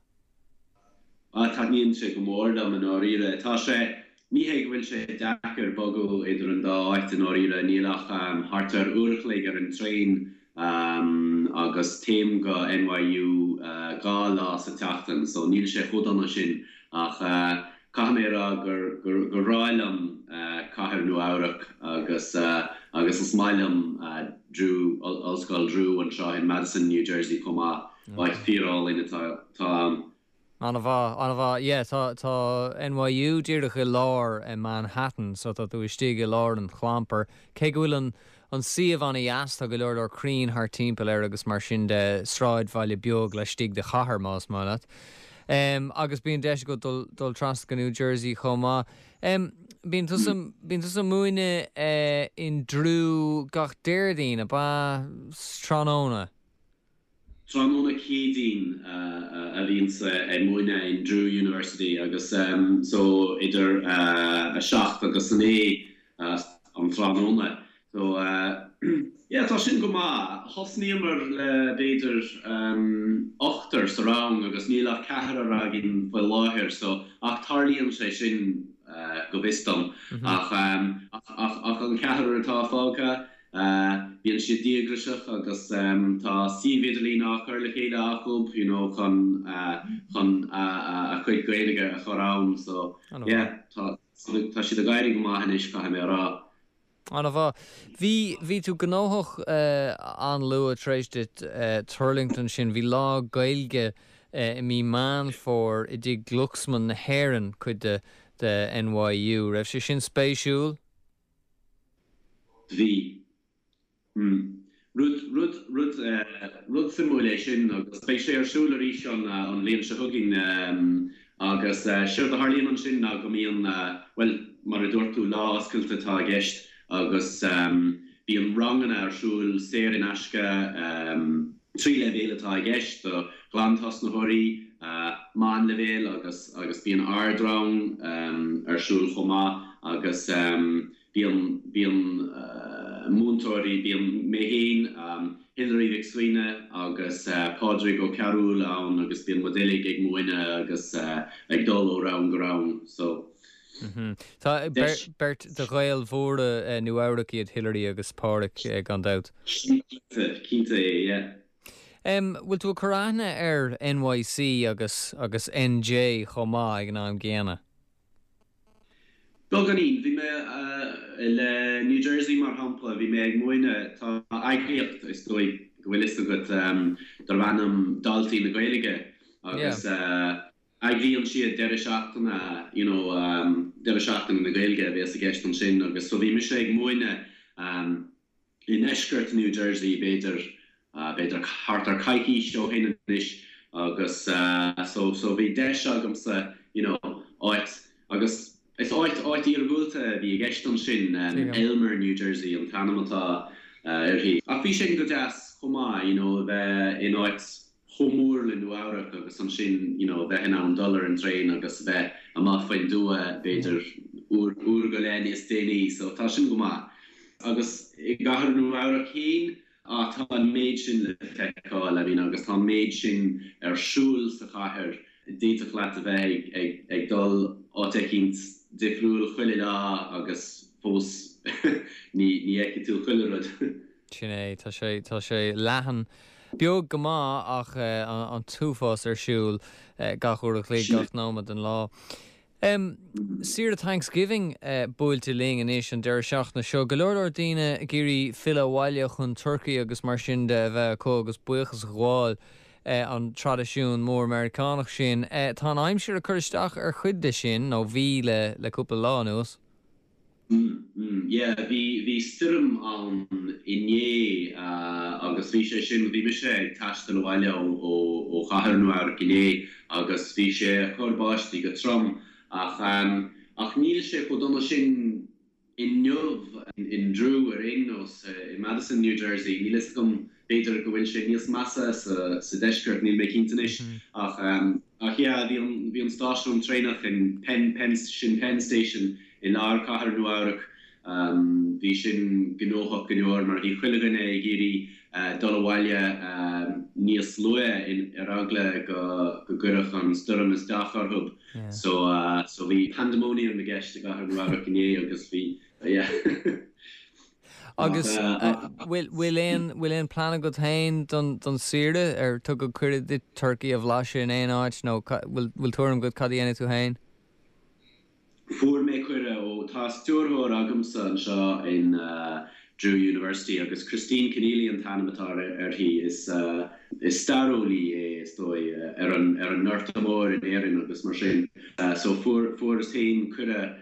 Ah, taitníonn sé go mór liom i ndáiríre. Tá sé. Ní hé go bhfuil sé deacair bogadh idir an dá áit i ndáiríre, níl ach thart ar uair a chloig ar an traein agus téim go NYU 2 lá sa tseachtain so níl sé chomh dona sin ach caithfidh mé a rá gur gur bhreá liom cathair Nua Eabhrac agus agus is maith liom Drew, Ollscoil Drew anseo in Madison, New Jersey chomh maith, áit fíor-álainn atá ann. An-mhaith, an-mhaith. Yeah, tá, tá NYU díreach i lár Manhattan, so tá tú istigh i lár an chlampair. Cé go bhfuil an, an suíomh an-dheas, tá go leor leor crainn thart timpeall air agus mar sin de, sráidbhaile beag laistigh de chathair, más maith leat. Em, agus bíonn deis agat dul, dul trasna go New Jersey chomh maith. Em, bíonn tusa, bíonn tusa ag múineadh eh in Drew gach Déardaoin, ab ea? Tráthnóna? Tráthnóna Céadaoin a bhíonns ag múineadh in Drew University agus so idir a 7 agus a 9 an tráthnóna. So yeah tá sin go maith. Thosnaíomar le b'fhéidir ochtar sa rang agus níl ach ceathrar againn faoi láthair so ach tarlaíonn sé sin go bhfios dom. Ach ach an ceathrar atá fágtha Bíonn siad díograiseach agus tá suíomh idirlín á chur le chéile acu you know chun chun a chuid Gaeilge a chur ann so yeah tá tá siad ag éirí go maith anois caithfidh mé a rá. An-mhaith. Bhí bhí tú gnóthach an-luath tar éis duit tuirlingt ansin. Bhí lá Gaeilge i mí Meán Fómhair i dTigh Glucksman na hÉireann, cuid de de NYU. Raibh sé sin spéisiúil? Bhí. Hmm. Rud, rud, rud, rud suimiúil é sin agus beidh sé ar siúl arís an, an bhliain seo chugainn agus séard a tharlaíonn ansin ná go mbíonn, bhuel, mar a dúirt tú, lá oscailte atá i gceist agus bíonn ranganna ar siúl saor in aisce, 3 leibhéal atá i gceist, do ghlantosnaitheoirí, meánleibhéal agus agus bíonn ardrang ar siúl chomh maith agus bíonn bíonn múinteoirí, bíonn mé féin, Hilary Mhic Suibhne agus Pádraig Ó Cearúil ann agus bíonn muid uilig ag múineadh agus ag dul ó rang go rang so. Tá beirt de Ghaeil mhóra Nua Eabhrac iad Hilary agus Pádraig gan dabht. Cinnte, cinnte é, yeah. Bhfuil tú ag cur aithne ar NYC agus agus NJ chomh maith ag an am gcéanna? Beagáinín. Bhí mé le New Jersey mar shampla, bhí mé ag múineadh, tá eagraíocht, is dóigh go bhfuil fhios agat, darb ainm Daltaí na Gaeilge agus eagraíonn siad deireadh seachtaine, you know, deireadh seachtaine na Gaeilge a bhéas i gceist ansin agus so bhí mise ag múineadh i ndeisceart New Jersey b'fhéidir, b'fhéidir thart ar coicís ó shin anois agus so, so bhí deis agamsa, you know, áit agus is áit, áit iargúlta a bhí i gceist ansin, Elmer, New Jersey an t-ainm atá uirthi. Ach bhí sin go deas chomh maith, you know, a bheith in áit chomh mór le Nua Eabhrac agus ansin you know bheith in ann dul ar an traein agus bheith amach faoin dtuath b'fhéidir uair, uair go leith níos déanaí so tá sin go maith. Agus i gcathair Nua Eabhrac féin, ah tá an méid sin le feiceáil I mean agus tá an méid sin ar siúl sa chathair, d'fhéadfadh leat a bheith ag, ag, ag dul áit eicínt difriúil chuile lá agus fós ní, ní fheicfidh tú chuile rud. Sin é, tá sé, tá sé leathan. Beag go maith ach an t-uafás ar siúl gach uair a chloig, gach nóiméad den lá. Saoire Thanksgiving buailte linn anois an deireadh seachtaine seo. Go leor leor daoine ag iarraidh filleadh abhaile chun turcaí agus mar sin de a bheith acu agus buíochas a ghabháil, an traidisiún mór Meiriceánach sin. Tá an aimsir ag cur isteach ar chuid de sin, nó bhí le cúpla lá anuas. Mm, yeah, bhí, bhí stoirm ann inné agus bhí sé sin, bhí mise ag taisteal abhaile ó, ó, ó chathair Nua Eabhrac inné agus bhí sé ag cur báistí go trom ach, ach níl sé chomh dona sin inniu in Drew ar aon nós, i Madison, New Jersey, níl fhios agam, b'fhéidir go bhfuil sé níos measa sa, sa deisceart, níl mé cinnte anois ach, ach yeah, bhí an, bhí an stáisiún traenach in Penn, Penn, sin Penn Station i lár cathair Nua Eabhrac. Bhí sin gnóthach go leor mar bhí chuile dhuine ag iarraidh dul abhaile níos luaithe ar eagla go gcuirfeadh an stoirm isteach orthu. So so bhí pandemonium i gceist i gcathair Nua Eabhrac inné agus bhí yeah. Agus bhfuil aon bhfuil aon plean agat féin don don saoire? Ar tugadh cuireadh duit turcaí a bhlaiseadh in aon áit nó bhfuil tuairim agat cad a dhéanfaidh tú féin? Fuair mé cuireadh ó, tá stiúrthóir agamsa anseo in Drew University agus Christine Kinealy an t-ainm atá uirthi. Is is staireolaí é is dóigh ar an ar an nGorta Mór in Éirinn agus mar sin. So fuair fuaireas féin cuireadh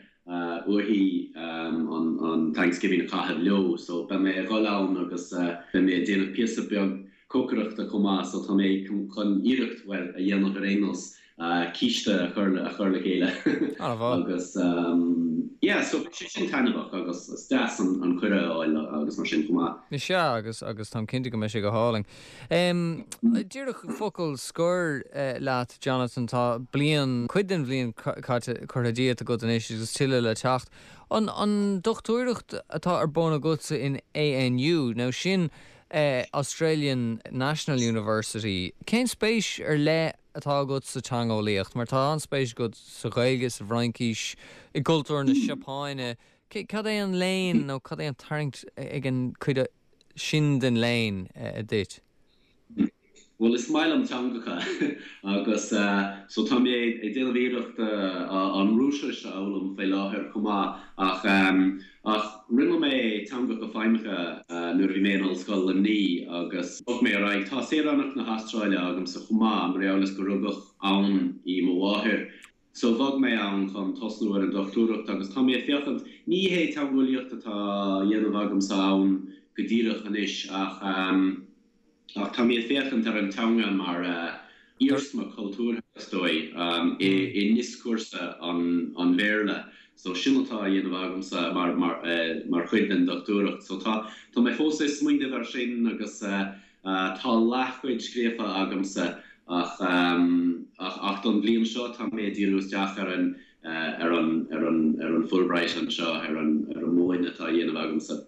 uaithi an an Thanksgiving a chaitheamh leo. So beidh mé ag dhul ann agus beidh mé ag déanamh píosa beag cócaireachta chomh maith so tá mé chun iarracht, bhuel, a dhéanamh ar aon nós, císte a chur a chur le chéile agus yeah so beidh sé sin taitneamhach agus is deas an an cuireadh a fháil agus mar sin chomh maith. Is ea agus agus táim cinnte go mbeidh sé go hálainn. Díreach focal scoir leat Jonathan, tá bliain, cuid den bhliain caite curtha díot agat anois agus tuilleadh le teacht. An an dochtúireacht atá ar bun agatsa in ANU, nó sin Australian National University. Cén spéis ar leith atá agat sa teangeolaíocht? Mar tá an-spéis agat sa Ghaeilge, sa bhFraincis, i gcultúr na Seapáine. Cad é an léann nó cad é an tarraingt ag an cuid sin den léann duit? Bhuel, is maith liom teangacha agus so tá mé ag déanamh iarracht an Rúisis a fhoghlaim faoi láthair chomh maith ach ach rinne mé teangacha feidhmeacha nuair a bhí mé in Ollscoil Luimnigh agus bhog mé ar aghaidh. Tá saoránacht na hAstráile agamsa chomh maith mar gheall is gur rugadh ann í mo mháthair. So bhog mé ann chun tosnú ar an dochtúireacht agus tá mé ag féachaint, ní hé teangeolaíocht atá á dhéanamh agamsa ann go díreach anois ach. Ach tá mé ag féachaint ar an teanga mar iarsma cultúrtha, is dóigh, i ndioscúrsa an Bhéarla. So sin atá á dhéanamh agamsa mar chuid den dochtúireacht. So tá mé fós ag smaoineamh air sin agus tá leathchuid scríofa agamsa ach ach don bhliain seo tá mé ag díriú isteach ar an ar an, ar an, ar an Fulbright anseo, ar an, ar an múineadh atá á dhéanamh agamsa.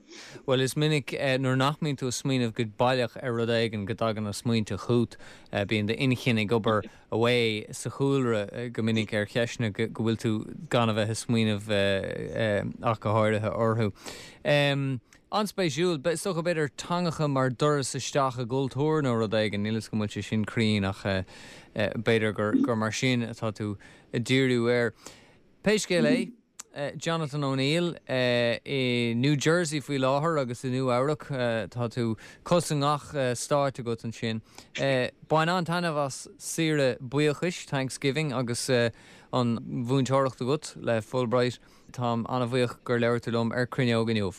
Bhuel, is minic nuair nach mbíonn tú ag smaoineamh go baileach ar rud éigin go dtagann na smaointe chugat. Bíonn d'inchinn ag obair away sa chúlra go minic ar cheisteanna go bhfuil tú gan a bheith ag smaoineamh ach go háirithe orthu. An-spéisiúil. Is dócha, b'fhéidir, teangacha mar doras isteach i gcultúr nó rud éigin. Níl 'fhios agam an bhfuil sé sin cruinn ach b'fhéidir gur mar sin atá tú ag díriú air. Pé scéal é, Jonathan O'Neill i New Jersey faoi láthair agus i Nua Eabhrac, tá tú cos i ngach stáit agat ansin. Bain an-taitneamh as saoire buíochais, Thanksgiving, agus an mhúinteoireacht agat le Fulbright. Táim an-bhuíoch gur labhair tú liom ar Cruinneog inniu.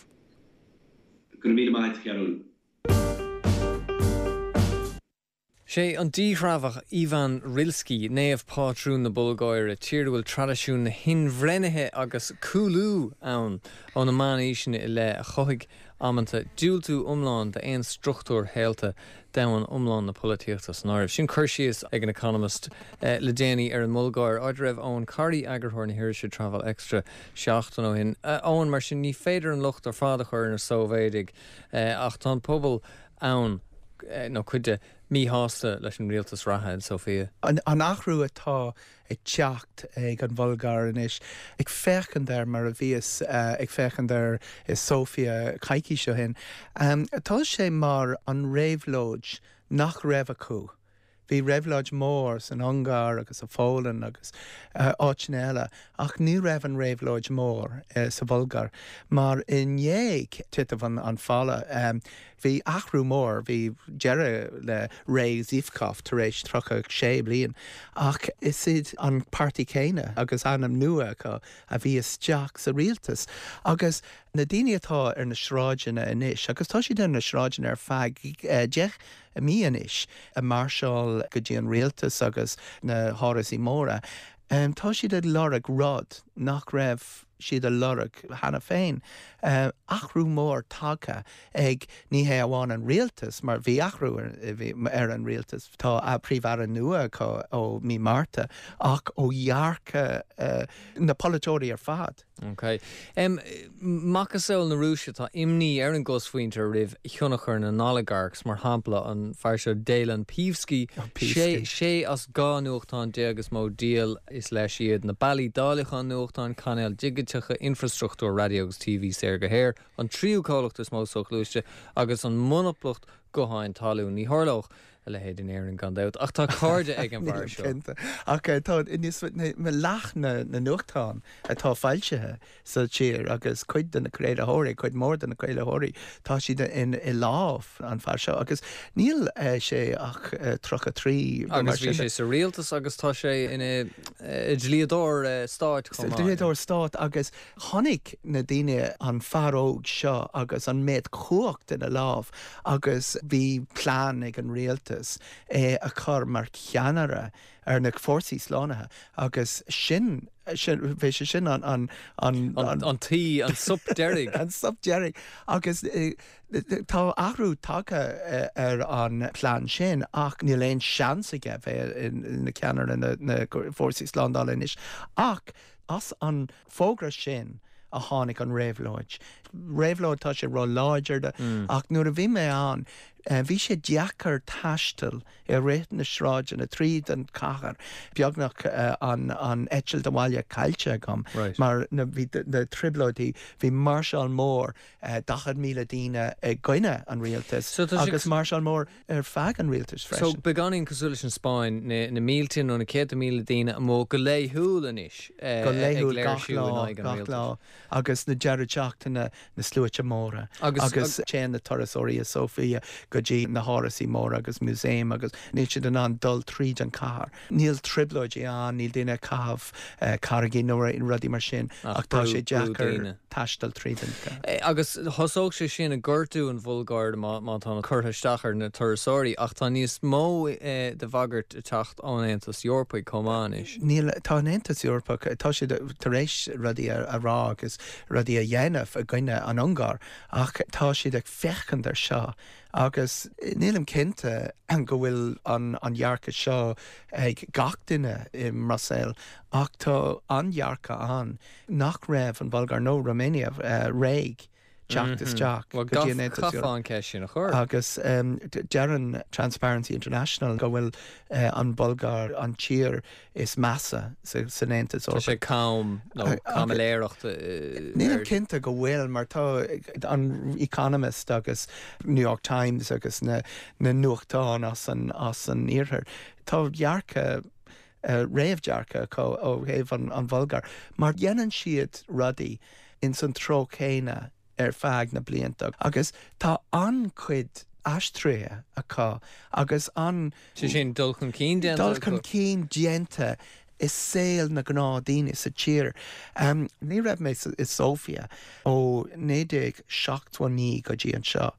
Go raibh míle maith agat, a Chearúil. Sé an díthreabhach Ivan Rilski naomh pátrún na Bulgáire, tír a bhfuil traidisiún na hinbhreithnithe agus cúlú ann ó na meánaoiseanna i leith, a chothaigh amanta diúltú iomlán d'aon struchtúir shaolta, domhan iomlán na polaitíochta san áireamh. Sin cur síos ag an Economist le déanaí ar an mBulgáir, áit a raibh Eoin Corry, eagarthóir na hirise Travel Extra, seachtain ó shin. Eoin, mar sin, ní féidir an locht ar fad a chur ar na Sóivéadaigh, ach tá an pobal ann, nó cuid de, míshásta leis an rialtas reatha in Sofia. An athrú atá ag teacht ag an Bhulgáir anois, ag féachaint air mar a bhíos ag féachaint air i Sofia coicís ó shin, tá sé mar an réabhlóid nach raibh acu. Bhí réabhlóid mór san Ungáir agus sa Pholainn agus áiteanna eile ach ní raibh an réabhlóid mór sa Bhulgáir mar i ndiaidh titim an falla bhí athrú mór, bhí deireadh le ré Zhivkov tar éis 36 bliain ach is iad an páirtí céanna agus ainm nua acu a bhí isteach sa rialtas agus na daoine atá ar na sráideanna anois agus tá siad ar na sráideanna ar feadh 10 mí anois, ag máirseáil go dtí an rialtas agus na hárasaí móra, tá siad ag lorg rud nach raibh. siad a lorg cheana féin. Athrú mór tagtha ag ní hé amháin an rialtas, mar bhí athrú ar an rialtas, tá Príomh-Aire nua acu ó mí Márta, ach ó dhearcadh na polaiteoirí ar fad. Ok. Macasamhail na Rúise, tá imní ar an gcosmhuintir roimh thionchar na n-oligarchs, mar shampla an fear seo Delyan Peevski, sé as 12 nuachtán is mó díol is leis iad, na bealaí dáileacháin nuachtán, cainéil dhigiteacha, infreastruchtúr raidió agus TV saor go haer, an tríú comhlacht is mó soghluaiste agus an monaplacht gutháin talún. Ní tharlódh a leithéid in Éirinn gan dabht, ach tá cairde ag an bhfear seo. Cinnte. Ach tá níos leath na nuachtán atá foilsithe sa tír agus cuid de na craolaitheoirí, cuid mhór de na craolaitheoirí, tá siad i lámh an fear seo agus níl sé ach 33 nó mar sin. Agus bhí sé sa rialtas agus tá sé ina dhlíodóir stáit chomh maith. Dlíodóir stáit agus chonaic na daoine an fear óg seo agus an méid cumhacht ina lámh agus bhí plean ag an rialtas é a chur mar cheannaire ar na fórsaí slánaithe agus sin, sin, bhí sé sin an, an, an, an. An tuí, an sop deiridh. An sop deiridh agus tá athrú tagtha ar an plean sin ach níl aon seans aige bheith ina cheannaire na, na fórsaí slándála anois ach as an fógra sin a tháinig an réabhlóid. Réabhlóid, tá sé ró-láidir ach nuair a bhí mé ann bhí sé deacair taisteal i rith na sráideanna tríd an chathair, beagnach an an eitilt abhaile caillte agam mar na bhí na trioblóidí, bhí máirseáil mór 40,000 daoine i gcoinne an rialtais agus máirseáil mór ar feadh an rialtais freisin. So beagáinín cosúil leis an Spáinn, na mílte nó na céadta míle daoine amuigh go laethúil anois ag léirsiú in aghaidh an rialtais. Gach lá agus na deireadh seachtaine na sluaite móra agus téann na turasóirí i Sofia go dtí na hárasaí móra agus músaeim agus níl siad in ann dul tríd an cathair. Níl trioblóidí ann, níl daoine ag caitheamh carraigí nó rudaí mar sin ach tá sé deacair taisteal tríd an gcathair. Agus thosódh sé sin ag gortú an Bhulgáir má tá curtha isteach ar na turasóirí ach tá níos mó de bhagairt ag teacht ón Aontas Eorpaigh chomh maith anois. Níl, tá an Aontas Eorpach, tá siad tar éis rudaí a rá agus rudaí a dhéanamh i gcoinne an Ungáir ach tá siad ag féachaint ar seo agus nílim cinnte go bhfuil an dhearcadh seo ag gach duine i mBruiséil ach tá an dhearcadh ann nach raibh an Bhulgáir nó Romania réidh teacht isteach go dtí an Aontas Eorpach. An cheist sin a chur. Agus deireann Transparency International go bhfuil an Bhulgáir an tír is measa san Aontas Eorpach. Tá sé cam nó caimiléireacht. Nílim cinnte go bhfuil mar tá an Economist agus New York Times agus na nuachtáin as an as an iarthar, tá dearcadh réamhdhearcadh acu ó thaobh an Bhulgáir mar dhéanann siad rudaí ins an treo céanna ar feadh na blianta agus tá an-chuid aistrithe acu agus an. Sé sin, dul chun cinn déanta acu. Dul chun cinn déanta i saol na gnáthdaoine sa tír. Ní raibh mé i Sofia ó 1979 go dtí anseo.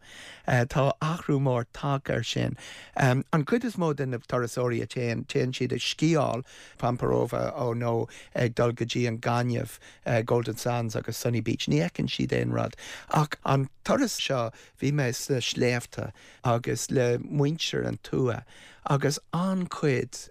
Tá athrú mór tagtha air sin. An chuid is mó de na turasóirí a téann, téann siad ag sciáil, Pamporovo nó ag dul go dtí an gaineamh, Golden Sands agus Sunny Beach. Ní fheiceann siad aon rud. Ach an turas seo bhí mé sna sléibhte agus le muintir an tuath agus an-chuid,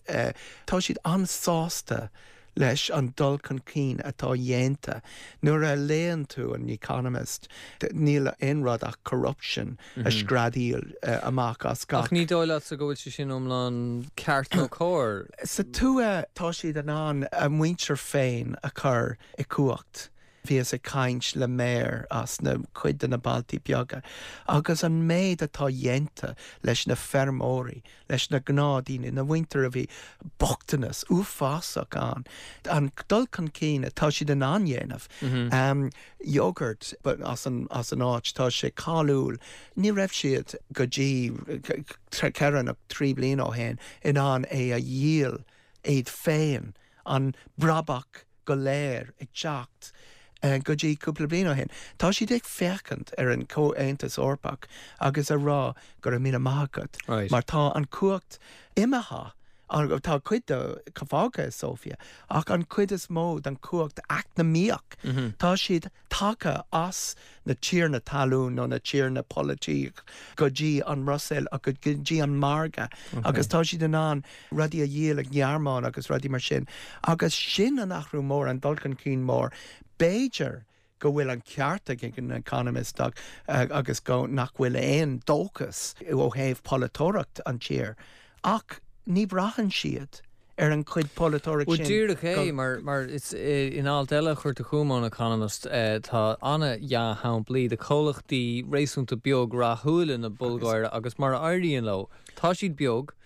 tá siad an-sásta leis an dul chun cinn atá dhéanta. Nuair a léann tú an Economist níl aon rud ach corruption a screadaíl amach as gach. Ach ní dóigh leatsa go bhfuil sé sin iomlán ceart nó cóir? Sa tuath tá siad in ann a muintir féin a chur i cumhacht. Bhíos ag caint le méara as na cuid de na bailtí beaga agus an méid atá dhéanta leis na feirmeoirí, leis na gnáthdaoine, na muintir a bhí bochtanas uafásach ann, an dul chun cinn atá siad in ann dhéanamh. Yogurt as an as an áit, tá sé cáiliúil. Ní raibh siad go dtí ceithre nó trí bliana ó shin in ann é a dhíol iad féin, an brabach go léir ag teacht go dtí cúpla bliain ó shin. Tá siad ag féachaint ar an Chomhaontas Eorpach agus a rá go raibh míle maith agat mar tá an cumhacht imithe. Tá cuid de fágtha i Sóifia, ach an chuid is mó den chumhacht eacnamaíoch, tá siad tagtha as na tiarnaí talún nó na tiarnaí polaitíoch go dtí an mBruiséil agus go dtí an margadh agus tá siad in ann rudaí a dhíol i nGearmáin agus rudaí mar sin agus sin an athrú mór, an dul chun cinn mór. B'fhéidir go bhfuil an ceart ag an Economist agus go nach bhfuil aon dóchas ó thaobh polaiteoireacht an tír ach ní bhraitheann siad ar an chuid polaiteoireacht sin. Bhuel díreach é, mar mar is in alt eile a chuir tú chugam ón Economist tá an-dea-shamplaí de chomhlachtaí réasúnta beag rathúla na Bulgáire agus mar a éiríonn leo, tá siad beag,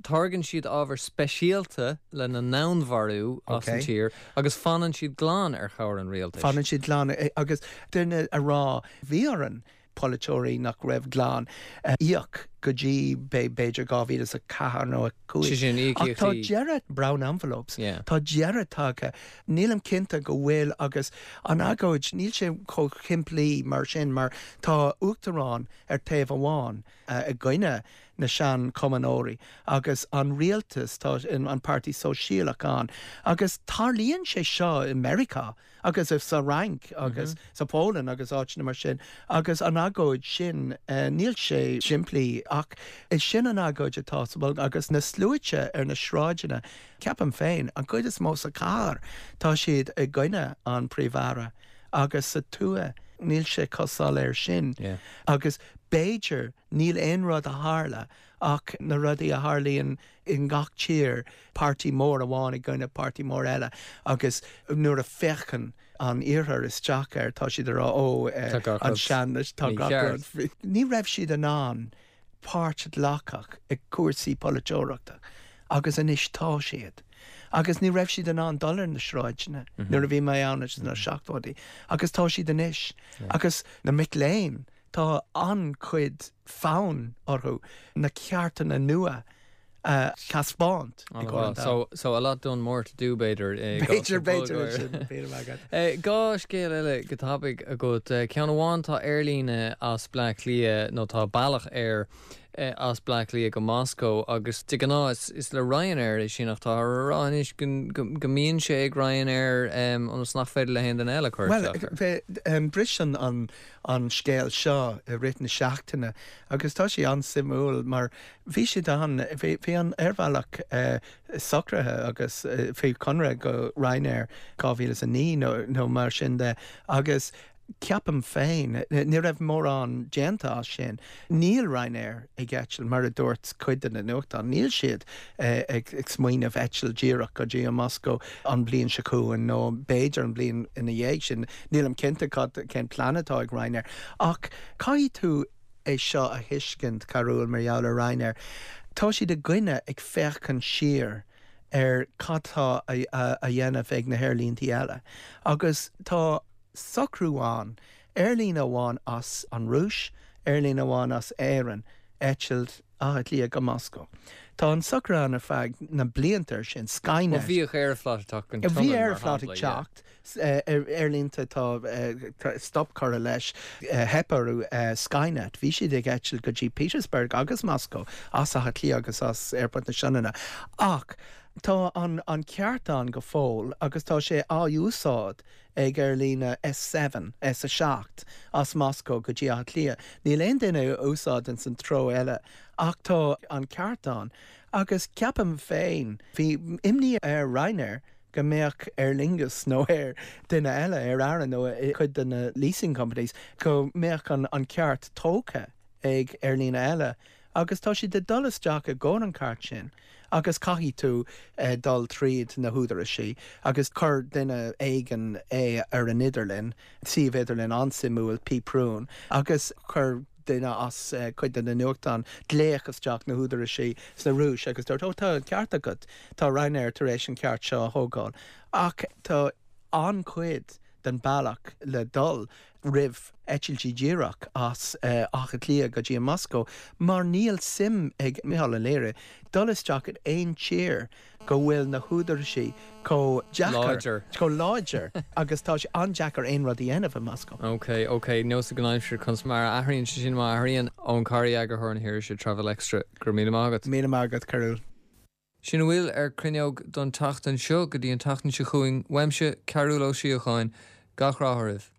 Táirgeann siad ábhar speisialta lena n-onnmhairiú as an tír agus fanann siad glan ar chabhair an rialtais. Fanann siad glan agus duine a rá bhí orainn polaiteoirí nach raibh glan a íoc go dtí b'fhéidir 2004 nó 5. Sé sin, Ach tá deireadh, brown envelopes, tá deireadh tagtha. Nílim cinnte go bhfuil agus an agóid, níl sé chomh shimplí mar sin mar tá uachtarán ar taobh amháin i gcoinne na sean-chumannóirí agus an rialtas, tá an Páirtí Sóisialach ann agus tarlaíonn sé seo i Meiriceá agus sa Fhrainc agus sa Pholainn agus áiteanna mar sin agus an agóid sin, níl sé simplí ach is sin an agóid atá sa Bhulgáir agus na sluaite ar na sráideanna, ceapaim féin, an chuid is mó sa chathair, tá siad i gcoinne an Príomh-Aire agus sa tuath níl sé chomh soiléir sin agus b'fhéidir Níl aon rud a tharla ach na rudaí a tharlaíonn i ngach tír, páirtí mór amháin i gcoinne páirtí mór eile agus nuair a féachann an iarthar isteach air tá siad ag rá ó an sean tá gach rud. Ní raibh siad in ann páirt a ghlacadh i cúrsaí polaiteoireachta agus anois tá siad. Agus ní raibh siad in ann dul ar na sráideanna nuair a bhí mé ann sna seachtóidí agus tá siad anois. Agus na mic léinn Tá an-chuid fonn orthu na ceartanna nua a thaispeáint i gcomhair an domhain. So, a lot done, more to do, b'fhéidir, i gcás na B'fhéidir, b'fhéidir, sin. Dhá scéal eile go tapaidh agat. Ceann amháin, tá aerlíne as Bleá Cliath, nó tá bealach aeir as Bleá Cliath go Moscó agus de ghnáth is le Ryanair é sin ach táthar a rá anois go mbíonn sé ag Ryanair ionas nach féidir le haon duine eile cur isteach air. Bhuel, bhris an an scéal seo i rith na seachtaine agus tá sé an-suimiúil mar bhí siad ann, bhí an aerbhealach socraithe agus faoi chonradh go Ryanair 2009 nó mar sin de agus ceapaim féin, ní raibh mórán déanta as sin. Níl Ryanair ag eitilt, mar a dúirt cuid de na nuachtáin, níl siad ag smaoineamh eitilt díreach go dtí an Moscó an bhliain seo chugainn nó b'fhéidir an bhliain ina dhiaidh sin, nílim cinnte cad, cén plean atá ag Ryanair. Ach caithfidh tú é seo a thuiscint, Cearbhall, mar gheall ar Ryanair. Tá siad i gcoinne ag féachaint siar ar cad tá á dhéanamh ag na haerlíntí eile agus tá socrú ann Aerlíne amháin as an Rúis, aerlíne amháin as Éirinn, eitilt Átha Cliath go Moscó. Tá an socrú ann ar feadh na blianta ar sin, Skynet. Bhuel, bhíodh Aeroflot ag teacht go Bhí Tionainn, mar Aeroflot ag shampla, yeah. teacht, aerlínte tá stop curtha leis, theip orthu, Skynet, bhí siad ag eitilt go dtí Petersburg agus Moscó as Átha Cliath agus as Aerfort na Sionainne. Ach tá an ceart ann go fóill agus tá sé á úsáid ag aerlíne S7, S7, as Moscó go dtí Áth Cliath. Níl aon duine á úsáid ins an treo eile ach tá an ceart ann agus ceapaim féin, bhí imní ar Ryanair go mbeadh Aer Lingus nó ar duine eile, Aer Arann nó cuid de na leasing companies, go mbeadh an ceart tógtha ag aerlíne eile agus tá siad ag dul isteach i gcomhair an ceart sin agus caithfidh tú dul tríd na húdaraisí agus chuir duine éigin é ar an idirlíon, suíomh idirlíon an-suimiúil, PPRuNe, agus chuir duine as cuid de na nuachtáin glaoch isteach na húdaraisí sna Rúis agus dúirt, ó tá an ceart agat, tá Ryanair tar éis an ceart seo a thógáil ach tá an-chuid den bealach le dul roimh eitiltí díreach as Áth Cliath go dtí an Moscó mar níl suim ag Micheál Ó Laoire dul isteach in aon tír go bhfuil na húdaraisí chomh deacair, chomh láidir agus tá sé an-deacair aon rud a dhéanamh i Moscó. Ok, ok, nós ag an aimsir conas mar a athraíonn sé sin má athraíonn. Eoin Corry, eagarthóir na hirise Travel Extra, go raibh míle maith agat. Míle maith agat, Cearbhall. Sin a bhfuil ar Cruinneog don tseachtain seo. Go dtí an tseachtain seo chugainn, uaimse, Cearúll Ó Síocháin, gach rath oraibh.